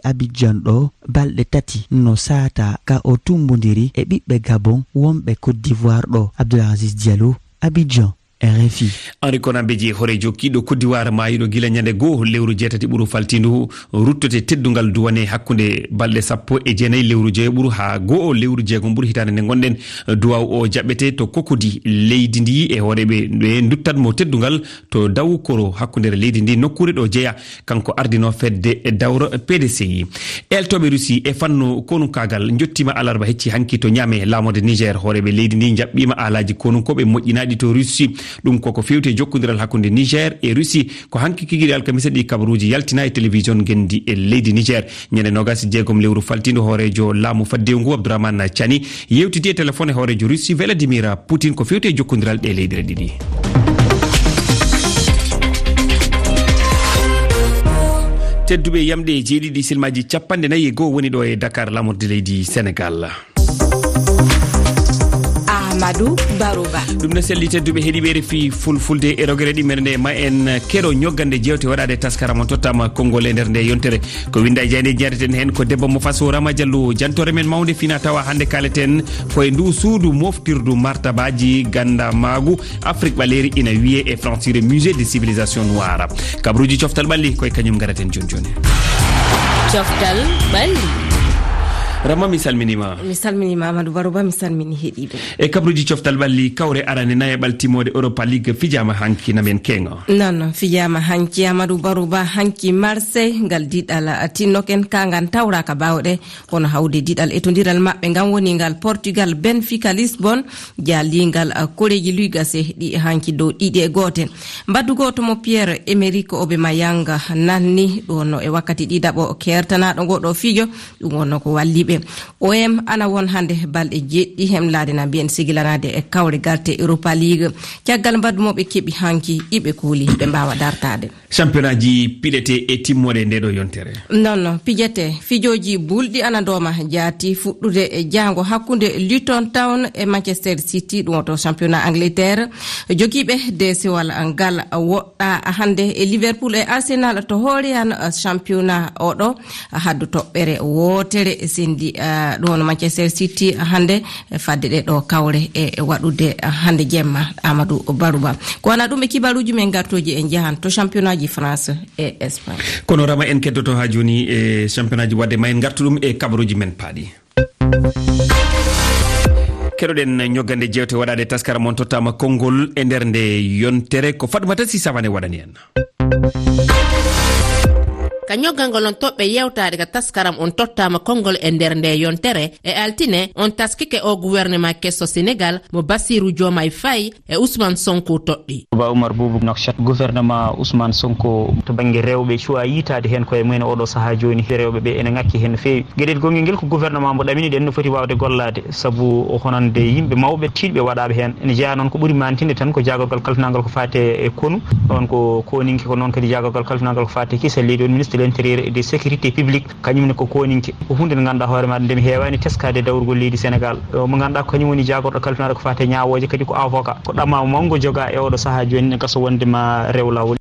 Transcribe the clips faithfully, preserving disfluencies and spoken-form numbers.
Abidjan ɗo balɗe tati no saataa ka o tummbondiri e ɓiɓɓe Gabon wonɓe Côte d'Ivoire ɗo. Abdoul Aziz Diallo, Abidjan, R F I. Henri Konan Bédié, hooreejo kiiɗɗo Côte d'Ivoire maayuɗo gila ñande goo lewru jeetati ɓuru faltiindu, ruttote teddungal duwane hakkunde balɗe sappo e jeenayi lewru joyoɓuru haa goo lewru jeegom ɓuru hitaande nde ngonɗen. Duwaaw o jaɓɓete to Cocody leydi ndi e hooreeɓe ɓe nduttat mo teddungal to Daw Koro hakkundeere leydi ndi nokkuure ɗo jeyaa. Kanko ardinoo fedde dawro P D C I. Eltooɓe Russie e fannu konunkaagal njottiima alarba hecci hanki to Niamey, laamorde Niger. Hooreeɓe leydi ndi njaɓɓiima aalaaji konunkooɓe moƴƴinaaɗi to Russie. Ɗum koko feewti e jokkondiral hakkunde Niger e Russie. Ko hanki kikiiɗe alkamisa ɗi kabaruuji yaltinaa e télévision ngenndi e leydi Niger. Ñande noogas e jeegom lewru faltiindu, hooreejo laamu faddewu ngu, Abdourahmane Tchiani, yewtidi e téléphone e hooreejo Russie Vladimir Poutine ko feewti e jokkondiral ɗe leyɗe ɗiɗi. Tedduɓe, yamɗe jeeɗiɗi silmaaji capanɗe nayi e goo woni ɗo e Dakar, laamorde leydi Sénégal. Amadou Barouba. Ɗum ne selli, tedduɓe heɗiiɓe R F I Fulfulde e rogere ɗimmere nde, ma en keɗo ñoggande jeewte waɗaade taskaram on tottaama konngol e nder nde yontere. Ko winnda e jaaynde njaareten heen ko debbo mo Faso, Rama Diallo, jantoore men mawnde fina tawa hannde kaaleten ko e ndu suudu moftirdu martabaaji gandamaagu Afrik ɓaleeri ina wiyee e francire Musée de Civilisation Noire. Kabaruuji coftal ɓalli ko e kañum ngaraten jooni jooni. Coftal ɓalli. Rama, mi salminiima. Mi salminiima Amadou Barouba, mi salmini heɗiiɓe. E kabaruuji coftal ɓalli, kawre arane nayaɓal timmoode Europa League fijaama hanki, na men keeŋo. Non, non, fijaama hanki Amadou Barouba, hanki Marseille, ngal diɗal tinnoken ka ngal tawraaka baawɗe, kono hawde diɗal etondiral maɓɓe ngal woni ngal Portugal, Benfica Lisbon, jaalingal, ah, koreeji luy gase ɗi hanki dow ɗiɗi e goote. Mbaddu gooto mo Pierre Emerick Aubameyang nanni ɗo no e wakkati ɗiɗaɓo keertanaaɗo ngo ɗo fijo, ɗum wonno ko walli ɓe. O M ana won hannde balɗe jeɗɗi hemlaade na mbiyen sigilanaade e kawre galte Europa League. Caggal mbaddu mo ɓe keɓi hanki iɓe kuuli ɓe mbaawa dartaade. Championnat ji piɗete e timmoode nde ɗo yontere. Non, non, pijete. Fijooji bulɗi ana ndooma jaati fuɗɗude e jaango hakkunde Luton Town e Manchester City, ɗum o to championnat Angleterre. Jogiiɓe deesewal ngal woɗɗa hannde e Liverpool e Arsenal to hoore an championnat oɗo. Haddu toɓɓere wootere sendi, ah, ɗum woni Manchester City hannde, e fadde ɗe ɗo kawre e waɗude hannde jemma, Amadou Barouba. Ko wona ɗum e kibaruuji men gartooji en njahan to championnat ji France e Espagne. Kono Rama, en keddoto haa jooni e championnat ji, wadde ma en ngartu ɗum e kabaruuji men paaɗi. Keɗoɗen ñoggande jeewte waɗaade taskaram on tottaama konngol e nder nde yontere, ko Fatmata Sy Savané waɗani en. Ka ñoggangol on toɓɓe yewtaade ka taskaram on tottaama konngol e nder nde yontere, e altine on taskike o gouvernement keso Sénégal mo Bassirou Diomaye Faye e Ousmane Sonko toɗɗi. Ba Oumar Boubou Nouakchott, gouvernement Ousmane Sonko to bannge rewɓe cuwa yiitaade heen koye mumen oɗo sahaa jooni. Rewɓe ɓe ene ŋakki heen no feewi. Geɗel gonngel ngel ko gouvernement mo ɗaminiɗen no foti waawde gollaade, sabu o honande yimɓe mawɓe tiiɗɓe waɗaaɓe heen. Ene jeyaa noon ko ɓuri mantinde tan ko jaagorgal kalfinaangal ko faati e konu. Ɗoon ko koninke, ko noon kadi jaagorgal kalfinaangal ko faati e kisal leydi, woni ministre de l'intérieur et de sécurité publique. Kañum ne ko koninke. Ko huunde nde ngannduɗaa hoore maaɗa nde mi heewaani teskaade e dawrugol leydi Sénégal. O mo ngannduɗaa ko kañum woni jaagorɗo kalfinaaɗo ko faati e ñaawooje, kadi ko avocat. Ko ɗamaamu mawngo jogaa e oɗo sahaa jooni ne gasa wonde ma rew laawol.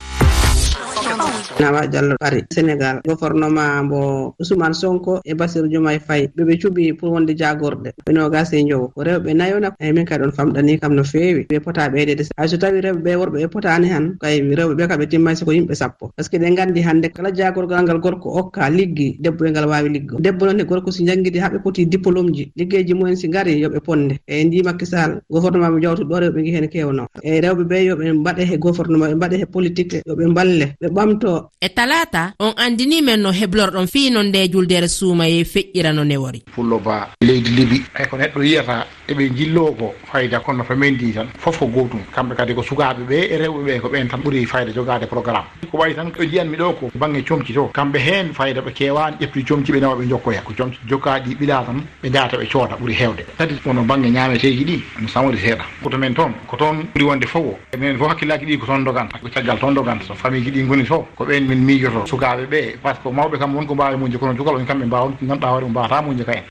Nawa Diallo ari Sénégal, gouvernement mbo Ousmane Sonko e Bassirou Diomaye Faye, ɓe ɓe cuɓi pour wonde jaagorɗe ɓe noogas e njowo. Ko rewɓe nayo na, eyi, min kadi on famɗani kam no feewi. Ɓe pota ɓeydeede. Hay so tawi rewɓe ɓe, worɓe ɓe potaani han, kay rewɓe ɓe kam ɓe timmay soko yimɓe sappo. Parce que ɓe nganndi hannde kala jaagorgal ngal gorko okka liggi, debbo e ngal waawi liggo. Debbo noon e gorko si njanngidi haa ɓe poti diplôme ji, liggeeji mumen si ngari yo ɓe ponde. E ndi Macky Sall, gouvernement mo jawtuɗo ɗo rewɓe ngi heen keewno. E rewɓe ɓe yo ɓe mbaɗe he gouvernement, ɓe mbaɗe he politique, yo ɓe mballe, ɓe ɓamto. E talaata, on anndini men no heblorɗon fii no nde juldere suumayee feƴƴira no newori. Pullo Ba, leydi Libi. Hay ko neɗɗo yiyata eɓe njilloo ko fayda, kono to men ndi tan, fof ko gootum. Kamɓe kadi ko sukaaɓe ɓe e rewɓe ɓe, ko ɓeen tan ɓuri fayda jogaade programme. Ko wayi tan ko njiyanmi ɗo ko bannge comci to. Kamɓe heen fayda ɓe keewaani, ƴetti comci ɓe nawa ɓe njokkoya. Ko comci jokkaaɗi ɓilaa tan, ɓe ndaata ɓe cooda ɓuri heewde. Kadi kono bannge ñaameteeji ɗi, no samori seeɗa. Ko to men toon, ko toon ɓuri wonde fof o. Enen fof hakkillaaji ɗi ko toon ndoganta, ko caggal toon ndoganta. So famille ji ɗi ngoni to, ko ɓeen min miijoto. Sukaaɓe ɓe, par ce que mawɓe kam won ko mbaawi muñde, kono cukalɓe on kamɓe mbaawa, ngannduɗaa hoore mum mbaawata muñde ka en.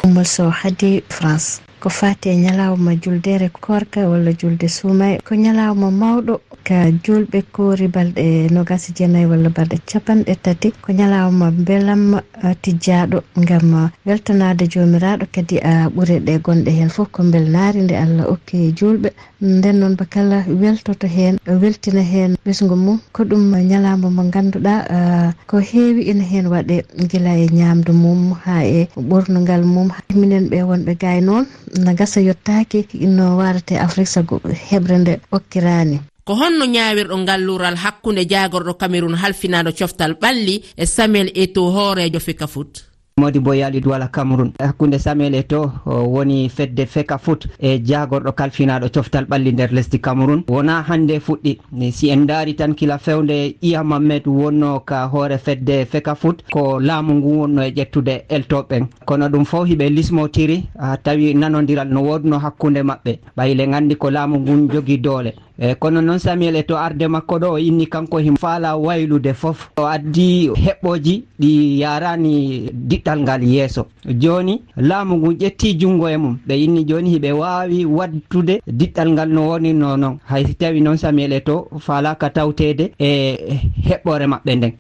Oumou Sow, Hadi France. Ko faati e ñalawma juldeere koorka walla julde suumaye, ko ñalawma mawɗo ka juulɓe koori balɗe noogaas e jeenayi walla balɗe capanɗe tati, ko ñalawma mbelamma, ah, tijjaaɗo ngam, ah, weltanaade Joomiraaɗo, kadi, ah, ɓure ɗe gonɗe heen fof ko mbelnaari nde Allah okki juulɓe. Nden noon, ba kala weltoto heen, weltina heen ɓesngu mum. Ko ɗum ñalawma mo ngannduɗaa, ah, ko heewi ina heen waɗe, gila e ñaamdu mum haa e ɓornungal mum. Minen ɓe wonɓe gaay noon, na gasa yottaaki no waarate Afrik sago heɓre nde okkiraani. Ko honno ñaawirɗo ngal luural hakkunde jaagorɗo Cameroun halfinaaɗo coftal ɓalli e Samuel Eto'o, hooreejo Fecafoot? Modibo Yali Douala Cameroun. Hakkunde Samuel Eto'o, o woni fedde Fecafoot, e jaagorɗo kalfinaaɗo coftal ɓalli nder lesdi Cameroun, wonaa hannde fuɗɗi. Ni, si en ndaari tan, kila fewde Iya Mamed wonno ka hoore fedde Fecafoot, ko laamu ngu wonno e ƴettude eltooɓe ɓen. Kono ɗum fof hiɓe lismotiri, ah, tawi nanondiral no woodno hakkunde maɓɓe. Ɓay le nganndi ko laamu ngun jogi doole. E kono noon, Samuel Eto'o, arde makko ɗo, o inni kanko himo faala waylude fof. O addi heɓɓooji ɗi yaarani diɗɗal ngal yeeso. Jooni, laamu ngun ƴetti junngo e mum. Ɓe inni jooni hiɓe waawi waɗtude diɗɗal ngal no wonirno noon. Hay si tawi noon Samuel Eto'o faalaaka tawteede e heɓɓoore maɓɓe nden.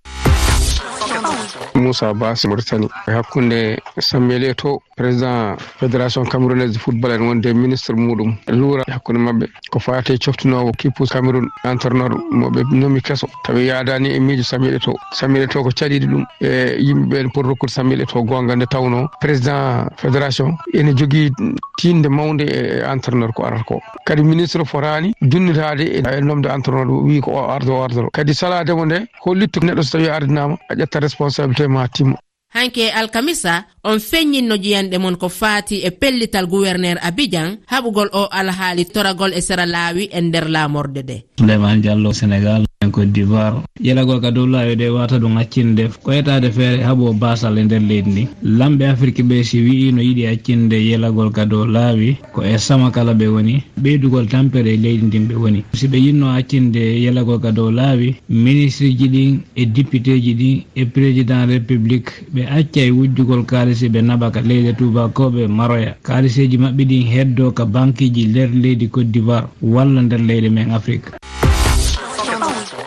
Moussa Bass, Mauritanie. E hakkunde Samuel Eto'o, président Fédération Camerounaise de Football, en wonde ministre muɗum luura hakkunde maɓɓe. Ko faati e coftinoowo kippu Cameroun, entraîneur mo ɓe nomi keso, tawi yaadaani e miijo Samuel Eto'o. Samuel Eto'o ko caɗiiɗo ɗum e yimɓe ɓeen pour rokkude Samuel Eto'o goonga, nde tawnoo président fédération ene jogii tiinde mawnde e entraîneur ko arata ko. Kadi ministre fotaani dunnitaade e, e nomde entraîneur, o wii ko o ardo, o ardo. Kadi salaade mo nde, hollitto neɗɗo so tawi ardinaama, a ƴetta responsabilité ma timma. Hanki e alkamisa, on feññinno jiyanɗe mon ko faati e pellital guwerneer Abidjan, haɓugol o alhaali toragol e sera laawi e nder laamorde nde. Souleymane Diallo, Sénégal, en Côte d'Ivoire. Yelagol ka dow laawi ɗe wata ɗum accinde ko etaade feere haɓo baasal e nder leydi ndi. Lamɓe Afirki ɓe si wi'i no yiɗi accinde yelagol ka dow laawi, ko e sama kala ɓe woni, ɓeydugol tampere e leydi ndin ɓe woni. Si ɓe yinno accinde yelagol ka dow laawi, ministriji ɗin e dipiteeji ɗin e président république ɓe accay wujjugol kaalisi ɓe naɓa ka leyɗe tuubakooɓe maroya. Kaaliseeji maɓɓe ɗin heddoo ka bankiji nder leydi Côte d'Ivoire walla nder leyɗe men Afirka.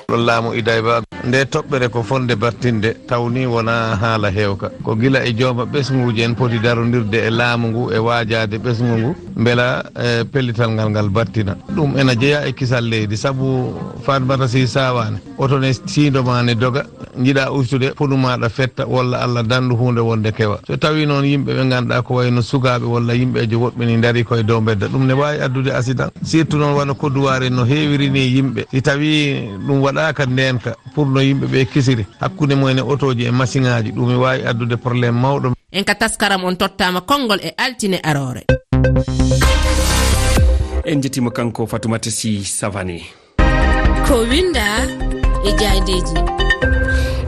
Ɗo laamu Idayba, nde toɓɓere ko fonde battinde, tawni wona haala heewka. Ko gila e jooma ɓesnguuji en poti darondirde e laamu ngu e waajaade ɓesngu ngu, mbela, eh, pellital ngal ngal battina. Ɗum ena jeyaa e kisal leydi, sabu Fatmata Sy Sawaane, oto ne siindo ma ne doga, njiɗa ustude, fonu maaɗa fetta, walla Allah dandu huunde wonde kewa. So tawi noon yimɓe ɓe ngannduɗaa ko wayno sukaaɓe walla yimɓeejo woɓɓe ni ndarii koye dow mbedda, ɗum ne waawi addude accident. Surtout noon wano Kodduwaari no heewiri ni yimɓe. Si tawi ɗum waɗaaka ndeenka pour no yimɓe ɓe kisiri, hakkunde mumen e otooji e masiŋaaji, ɗum ne waawi addude problème mawɗo. En ka taskaram on tottaama konngol e altine aroore. En njettiima kanko Fatoumata Sy Savané. Ko winda e jaaydeeji.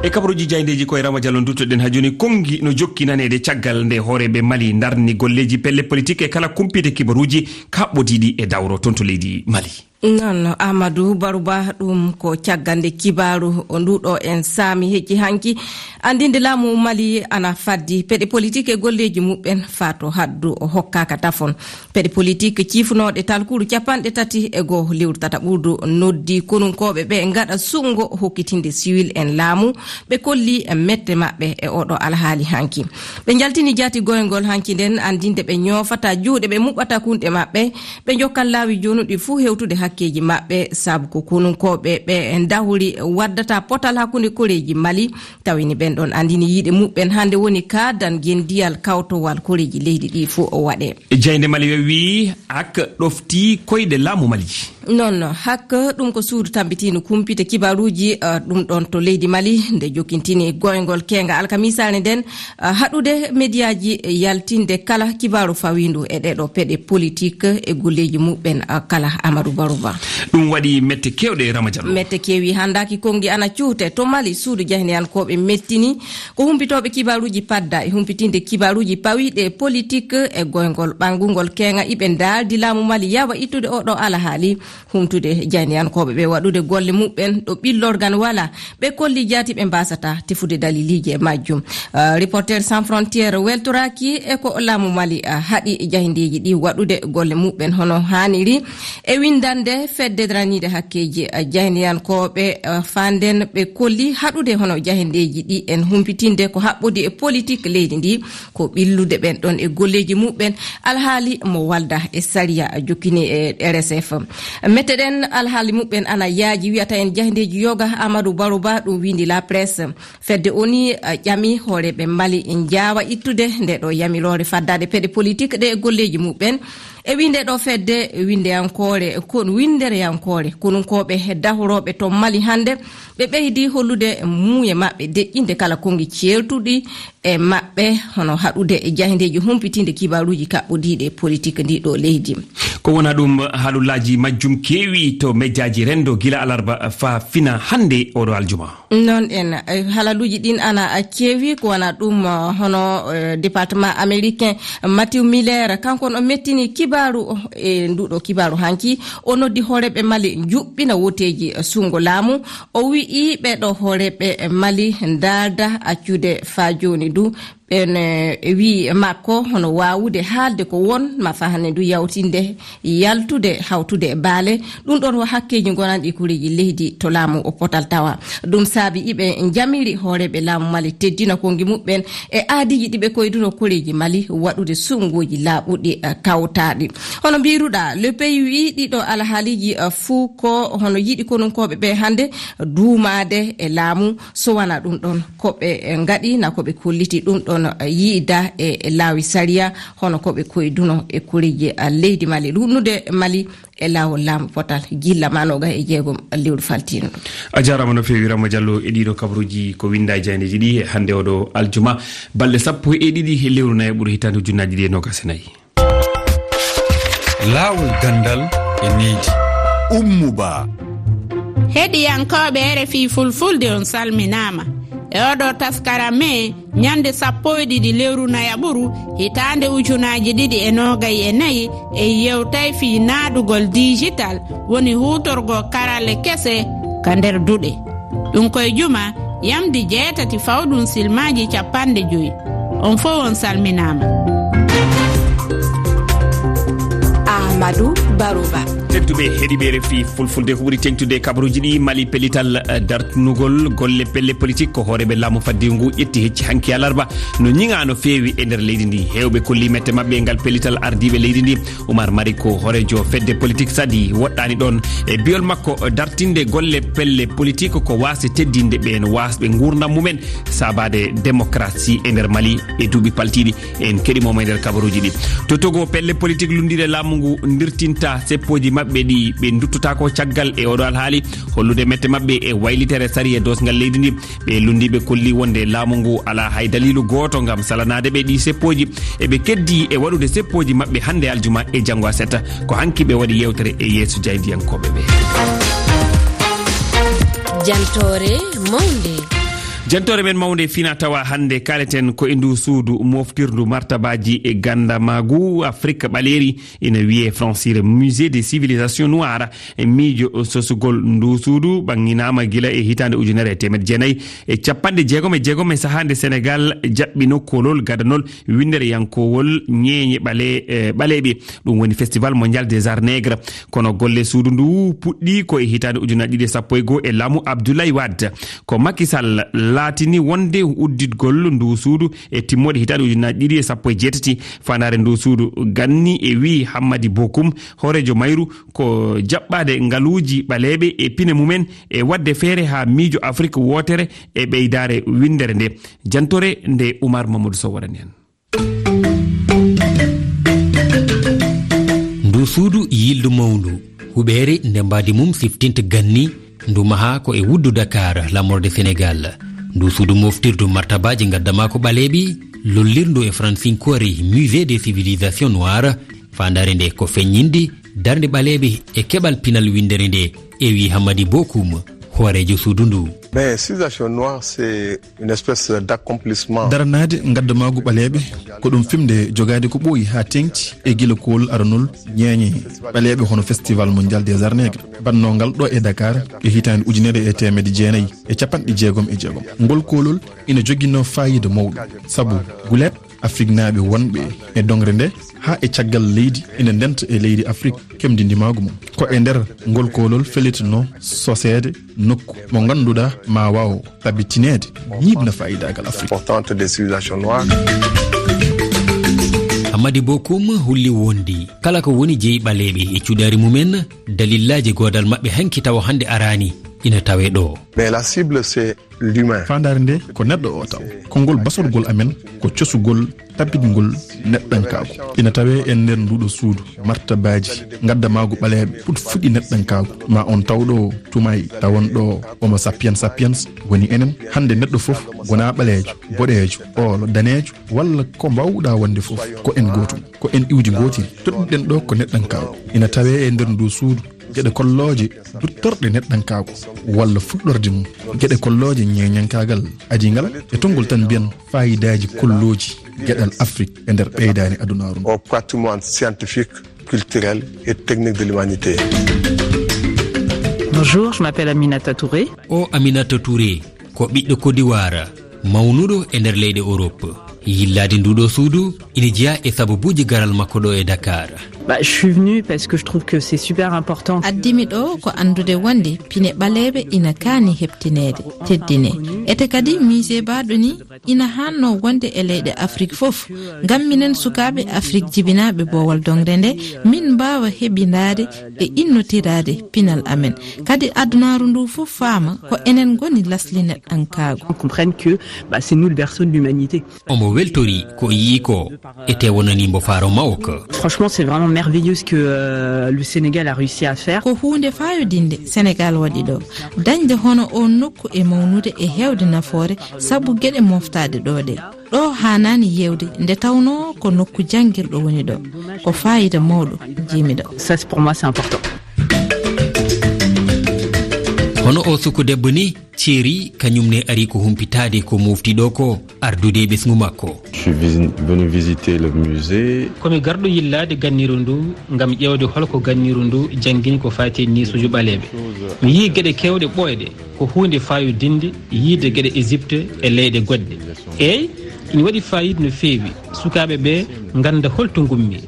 E kabaruuji jaaydeeji ko e Rama Diallo nduttoɗen haa jooni. Konngi no jokki naneede caggal nde hooreeɓe Mali ndarni golleeji pelle politik e kala kumpite kibaruuji kaɓɓotiiɗi e dawro toon to leydi Mali. Noon, Amadou Baruba, ɗum ko caggal nde kibaaru o nduɗo en saami hecci hanki. Andinde laamu Mali ana faddi peɗe politik e golleeji muɓɓen faa to haddu o hokkaaka tafon. Peɗe politik ciifunooɗe talkuru capanɗe tati e goo lewru tataɓurdu noddi konunkooɓe ɓe ngaɗa suɓngo hokkitinde siwil en laamu. Ɓe kolli mette maɓɓe e oɗo alhaali hanki. Ɓe njaltini jaati goyngol hanki nden, andinde ɓe ñoofata juuɗe, ɓe muɓɓata kunɗe maɓɓe, ɓe jokkan laawi jonuɗi fuu hewtude hakkeeji maɓɓe, sabu ko konunkooɓe ɓe dahuri waddata potal hakkunde koreeji Mali. Tawini ɓen ɗon andini yiide muɓɓen hande woni kaadan gendiyal kawtowal koreeji leydi ɗi fuu o waɗe. Jaynde Mali we wii ak ɗofti koyɗe laamu Mali. Noon, hak ɗum ko suudu tambitiindu kumpite kibaaruuji, eh, ɗum ɗon to leydi Mali, nde jokkintini goyngol keenga alkamisaare nden, eh, haɗude mediyaaji yaltinde kala kibaaru fawiindu e ɗeɗo peɗe politik e golleeji muɓɓen, eh, kala. Amadou Barou. Ɗum waɗi mette keewɗe, Rama Diallo. Mette keewi handaaki konngi ana cuute. To Mali, suudu jahniyankooɓe mettini ko humpitooɓe kibaaruuji padda e humpitinde kibaaruuji pawiiɗe politik e goyngol ɓangungol keeŋa iɓe ndaaldi laamu Mali yawa ittude oɗo alahaali, humtude jahniyankooɓe ɓe waɗude golle muɓɓen ɗo ɓillorgal wala. Ɓe kolli jaati ɓe mbasata tefude daliliiji e majjum. Ah, Reporter Sans Frontières weltoraaki e ko laamu Mali, ah, haɗi jahindeeji ɗi waɗude golle muɓɓen hono haaniri. E winndande fedde daraniinde hakkeeji, ah, jahindiyankooɓe, ah, fanden ɓe kolli haɗude hono jahindeeji ɗi en humpitinde ko haɓɓodi e politik leydi ndi, ko ɓillude ɓen ɗon e golleeji muɓɓen, alhaali mo walda e sariya jokkini e R S F. Metteɗen alhaali muɓɓen ana yaaji, wiyata en jahindeeji yoga Amadou Baroba, ɗum windi La Presse. Fedde O N U, eh, ƴami hooreeɓe Mali njaawa ittude nde ɗo yamiroore faddaade peɗe politik ɗe e golleeji muɓɓen. E winde ɗo fedde windeyankoore, kon windereyankoore, konunkooɓe dahorooɓe to Mali hannde, ɓe ɓeydi hollude muuye maɓɓe deƴƴinde kala konngi ceertuɗi e maɓɓe, hono haɗude e jahindeeji humpitinde kibaaruuji kaɓɓodiiɗe politik ndi ɗo leydi. Ko wona ɗum, halullaaji majjum keewi to mejjaaji renndo gila alarba faa fina hannde oɗo aljuma. Noon en, eh, halaluuji ɗin ana, eh, keewi, ko wona ɗum, eh, hono, eh, département américain Matthew Miller, kanko on o mettini kibaaru, eh, nduɗo kibaaru hanki, o noddi hooreeɓe Mali njuɓɓina woteeji, eh, sunngo laamu. O wi'i ɓeeɗo hooreeɓe Mali ndaalda accude faa jooni du, ɓen, eh, wi'i makko hono waawude haalde ko won ma fahane ndu yawtinde, yaltude, hawtude e baale. Ɗum ɗon wo hakkeeji ngonanɗi koreeji leydi to laamu o potal tawa. Ɗum saabi iɓe njamiri hooreeɓe laamu Mali teddina konngi muɓɓen e aadiiji ɗi ɓe koyduno koreeji Mali waɗude suɓngooji laaɓuɗi, eh, kawtaaɗi. Hono mbiruɗaa, Le Pays wi'i ɗiɗo alhaaliiji, eh, fuu ko hono yiɗi konunkooɓe ɓe hannde duumaade e laamu. So wonaa ɗum ɗon, ko ɓe, eh, ngaɗi na ko ɓe kolliti ɗum ɗon, eh, yiida e, e laawi sariya, hono ko ɓe koyduno e koreeji, eh, leydi Mali, ɗuuɗnude Mali e laawol laamu potal gilla ma noogas e jeegom lewru faltiino ɗo. A jaaraama no feewi, Rama Diallo, e ɗiɗo kabaruuji ko winnda e jaayndeeji ɗi e hannde oɗo aljuma, balɗe sappo e ɗiɗi e lewru nayaɓuru hitaande ujunnaaji ɗiɗi e noogas e nayi. Laawol ganndal e needi. Ummu Ba. Heɗiyankooɓe R F I Fulfulde, on salminaama. E oɗo taskara me, ñande sappo e ɗiɗi lewru nayaɓuru, hitaande ujunaaji ɗiɗi e noogay e nayi, e yewtay fii naadugol dijital, woni huutorgo karalle kese ka nder duɗe. Ɗum koye juma, yamdi jeetati fawɗum silmaaji cappanɗe joyi. On fow on salminaama. Amadou Barouba. Tedduɓe heɗiiɓe R F I Fulfulde, ko ɓuri teŋtude kabaruuji ɗi, Mali pellital, eh, dartunugol golle pelle politik ko hooreeɓe laamu faddewu ngu ƴetti hecci hanki alarba. No ñiŋaa no feewi e nder leydi ndi. Heewɓe kolli mette maɓɓe e ngal pellital ardiiɓe leydi ndi. Umar Mariko, hooreejo fedde politik Sadi, woɗɗaani ɗoon. E bi'ol makko, dartinde golle pelle politik ko waasde teddinde ɓeen waasɓe nguurndam mumen, saabaade démocratie e nder Mali e duuɓi paltiiɗi. En keɗii mo e nder kabaruuji ɗi. To Togo, pelle politik lunndiiɗe laamu ngu ndirtinta seppooji maɓɓe ɗi ɓe nduttotaako caggal e oɗo alhaali, hollude mette maɓɓe e waylitere sariya doosngal leydi ndi. Ɓe lunndiiɓe kolli wonde laamu ngu alaa hay daliilu gooto ngam salanaade ɓe ɗii seppooji. Eɓe keddii e waɗude seppooji maɓɓe hannde aljuma e janngo aset. Ko hanki ɓe waɗi yeewtere e yeeso jaayndiyankooɓe ɓe. Jantoore mawnde. Jantoore men mawnde fina tawa hannde kaaleten ko e ndu suudu moftirdu martabaaji e ganndamaagu Afrik ɓaleeri, ina wiyee Fransire Musée des Civilisations Noires. E miijo sosugol ndu suudu ɓaŋŋinaama gila e hitaande ujunere e teemedde jeenayi e cappanɗe jeegom e jeegom e sahaa nde Senegaal jaɓɓino koolol gadanol winndereyankoowol ñeeñe ɓale-, eh, ɓaleeɓe. Ɗum woni Festival Mondial des Arts Nègres. Kono golle suudu ndu puɗɗii ko e hitaande ujunaaji ɗiɗi e sappo e goo e laamu Abdoulaye Wade. Ko Macky Sall laatini wonde udditgol ndu suudu e timmoode hitaande ujunaaji ɗiɗi e sappo e jeetati. Faandaare ndu suudu ganni e wi'i Hammadi Bokum, hooreejo mayru, ko jaɓɓaade ngaluuji ɓaleeɓe e pine mumen e waɗde feere haa miijo Afrik wootere e ɓeydaare winndere nde. Jantoore nde Umar Mamadou Sow waɗani en. Ndu suudu yildu mawndu, huɓeere nde mbaadi mum siftinta ganni, ndu mahaa ko e wuddu Dakar, laamorde Senegaal. Ndu suudu moftirdu martabaaji ngaddamaaku ɓaleeɓe, lollirndu e fransinkoore Musée des Civilisations Noires, faandaare nde ko feññinde Darnde ɓaleeɓe e keɓal pinal winndere nde, e wi Hammadi Bokum, hooreejo suudu ndu. Mais civilisation noire, c'est une espèce d'accomplissement. Daranaade ngaddamaagu ɓaleeɓe ko ɗum fimde jogaade ko ɓooyi haa teeŋti e gila koolol aranol ñeeñe ɓaleeɓe, hono Festival Mondial des Arts Nègres, bannoogal ɗo e Dakar e hitaande ujunere e teemedde jeenayi e capanɗe jeegom e jeegom. Ngol koolol ina joginoo faayiida mawɗo, sabu guleet Afriknaaɓe wonɓe e doŋre nde haa e caggal leydi ina ndenta e leydi Afrik keɓdi ndimaagu mum. Ko e nder ngol koolol fellitinoo soseede nokku mo ngannduɗaa ma waaw tabitineede ñiiɓna faayiidaagal Afrik. Importante des civilisations noires. Hammadi Bokum holli wondi kala ko woni jeyi ɓaleeɓe e cuɗaari mumen, dalillaaji goodal maɓɓe hanki tawa hannde araani ina tawee ɗo. Mais la cible, c'est l'humain. Faandaare nde ko neɗɗo o taw. Konngol basorgol amen ko cosugol tabitgol neɗɗankaagu. Ina tawee e nder nduuɗo suudu martabaaji ngaddamaagu ɓaleeɓe puɗfuɗi neɗɗankaagu. Ma on taw ɗo tumay tawon ɗo Homo sapiens sapiens woni enen. Hannde neɗɗo fof wonaa ɓaleejo, boɗeejo, oolo, daneejo, walla ko mbaawɗaa wonde fof, ko en gootum, ko en iwdi ngootiri. Toɗɗiɗen ɗo ko neɗɗankaagu. Ina tawee e nder ndu suudu geɗe kollooje duttorɗe neɗɗankaagu walla fuɗɗorde mum, geɗe kollooje ñeeñankaagal adingal, e tonngol tan mbiyen faayidaaji kollooji geɗal Afrik e nder ɓeydaani adunaaru ndu. Au patrimoine scientifique, culturel et technique de l'humanité. Bonjour, je m'appelle Aminata Touré. O Aminata Touré ko ɓiɗɗo Kodiwaara, mawnuɗo e nder leyɗe Europe. Yillaade nduɗo suudu ina jeyaa e sababuuji garal makko ɗo e Dakar. Bah, je suis venue parce que je trouve que c'est super important. Addimi ɗo ko anndude wonde pine ɓaleeɓe ina kaani heɓtineede, teddine. Ete kadi, musée baaɗo ni ina haanno wonde e leyɗe Afrik fof. Ngam minen sukaaɓe Afrik jibinaaɓe boowal doŋre nde, min mbaawa heɓindaade e innotiraade pinal amen. Kadi adunaaru ndu fof faama ko enen ngoni lasli neɗɗankaagu. On comprenne que, bah, c'est nous le berceau de l'humanité. Omo weltori ko yii ko, ete wonani mbo faaro mawko. Franchement, c'est vraiment merveilleux ce que, euh, le Sénégal a réussi à faire. Ko huunde faayodinde Sénégal waɗi ɗo. Dañde hono o nokku e mawnude e heewde nafoore sabu geɗe moftaaɗe ɗo ɗe. Ɗo haanaani yeewde nde tawnoo ko nokku janngirɗo woni ɗo. Ko faayiida mawɗo jiimi ɗo. Ça, c'est, pour moi, c'est important. Hono o suku debbo ni, Thierry, kañum ne ari ko humpitaade ko mofti ɗo ko, ardude e ɓesngu makko. Je suis visi-, venu visiter le musée. Ko mi garɗo yillaade ganniru ndu ngam ƴeewde holko ganniru ndu janngini ko faati e niisuuji ɓaleeɓe. Mi yii geɗe keewɗe ɓooyɗe, ko huunde faayodinde yiide geɗe Égypte e leyɗe goɗɗe. Eey, ina waɗi faayiida no feewi. Sukaaɓe ɓe ngannda holto ngummi,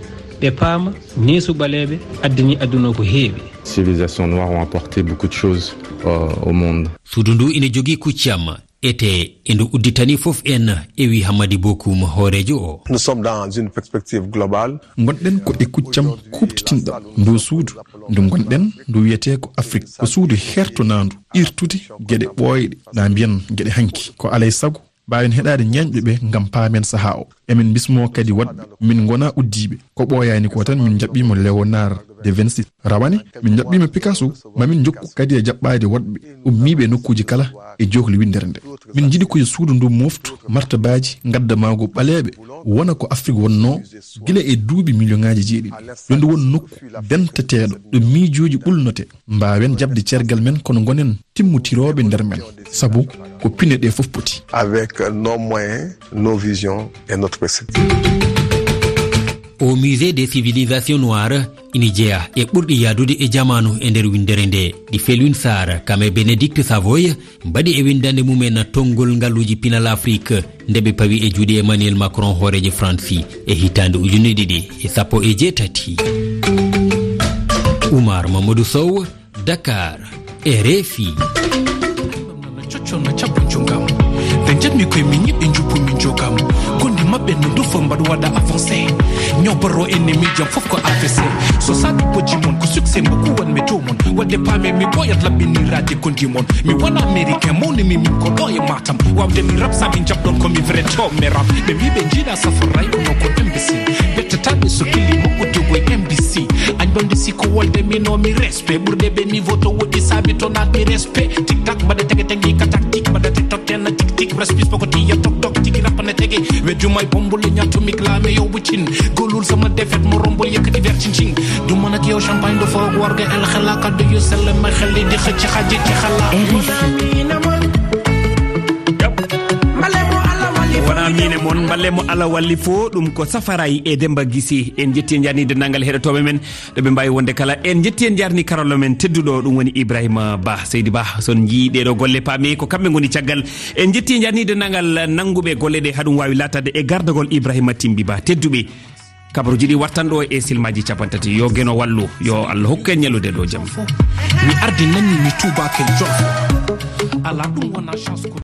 ɓe paama neesu ɓaleeɓe addani aduna o ko heewi. Civilisations noires ont apporté beaucoup de choses, euh, au monde. Suudu ndu ina jogii kuccam, ete e ndu udditani fof en, e wi Hammadi Bokum, hooreejo o. Nous sommes dans une perspective globale. Ngonɗen ko e kuccam kuuɓtitinɗam. Ndu suudu ndu ngonɗen, ndu wiyetee ko Afrik, ko suudu hertonaandu irtude geɗe ɓooyɗe, na mbiyen geɗe hanki. Ko alay sago mbaawen heɗaade ñeeñɓe ɓe ngam paamen sahaa o. Emin mbismoo kadi woɗɓe, min ngonaa uddiiɓe. Ko ɓooyaani ko tan, min njaɓɓiima Léonard de Vinci. Rawane, min njaɓɓiima Picasso, ma min njokku kadi e jaɓɓaade woɗɓe ummiiɓe e nokkuuji kala e jookli winndere nde. Min njiɗi ko yo suudu ndu mooftu martabaaji ngaddamaagu ɓaleeɓe, wona ko Afrik wonnoo gila e duuɓi miliyoŋaaji jeeɗiɗi. Yo ndu won nokku denteteeɗo, ɗo miijooji ɓulnotee. Mbaawen jaɓde ceergal men, kono ngonen timmotirooɓe nder men, sabu ko pine ɗe fof poti. Avec nos moyens, nos visions et notre perspective. O Musée des Civilisations Noires ina jeyaa e ɓurɗi yaadude e jamaanu e nder winndere nde, ɗi Felwine Sarr, kam e Bénédicte Savoy, mbaɗi e winndannde mumen tonngol ngaluuji pinal Afrik, nde ɓe pawi e juuɗe Emmanuel Macron, hooreejo Faransi, e hitaande ujunere ɗiɗi e sappo e jeetati. Oumar Mamadou Sow, Dakar, R F I. Coccol no caɓɓo jungam. Ɓe njanmi koye min ñiɓɓe njuppu min jogam. Gondi maɓɓe no ndufo mbaɗ waɗa avancé. Ñoboro ennemi jam fof ko A V C. So saɗi bojji mon ko succès mo kuwan mi to mon. Wadde paame mi boyat laɓɓiniraade gondi mon. Mi wona américain mawnimi min ko ɗo e Matam. Wawde mi rap sabi jaɓɗon ko mi vrai to mi rap. Ɓe mbi ɓe jiiɗa safaray kono ko imbécile. Ɓettataɓe so killi mo uddugo M B C. Añ ɓamde si ko wolde mi no mi respect. Ɓurde ɓe niveau to woɗɗi sabi to naat mi respect. Tik tak mbaɗa tege tege ka tactique mbaɗa tik tok tenna tik Tik respis poko ti ya tok tok tigi rap na tege. We jumay bombo le ñato mik la me yow bu cin. Golul sama defet mo rombo yëkkati ver cin cin. Du man ak yow champagne do fo warga el xala kaddu yu sel ma xel di xëcc xaji ci xala. R F I. Wona mine mon, mballe mo Allah walli fo, ɗum ko Safaray e Demba Gisi. En jetti, en jarni denndaangal heɗotooɓe men ɗo ɓe mbawi wonde kala. En jetti, en jarni karallo men tedduɗo, ɗum woni Ibrahima Ba. Seydi Ba, son jii ɗeɗo golle, paami ko kamɓe ngoni caggal. En jetti, en jarni denndaangal nannguɓe golle ɗe, haɗum wawi latade e gardagol Ibrahima Timbi Ba. Tedduɓe, kabaruji ɗi wartan ɗo e silmaji capanɗe tati. Yo Geno wallu, yo Allah hokku en ñallude ɗo jam. Mi ardi nanni mi tuubake jolfo. Ala ɗum wona chance ko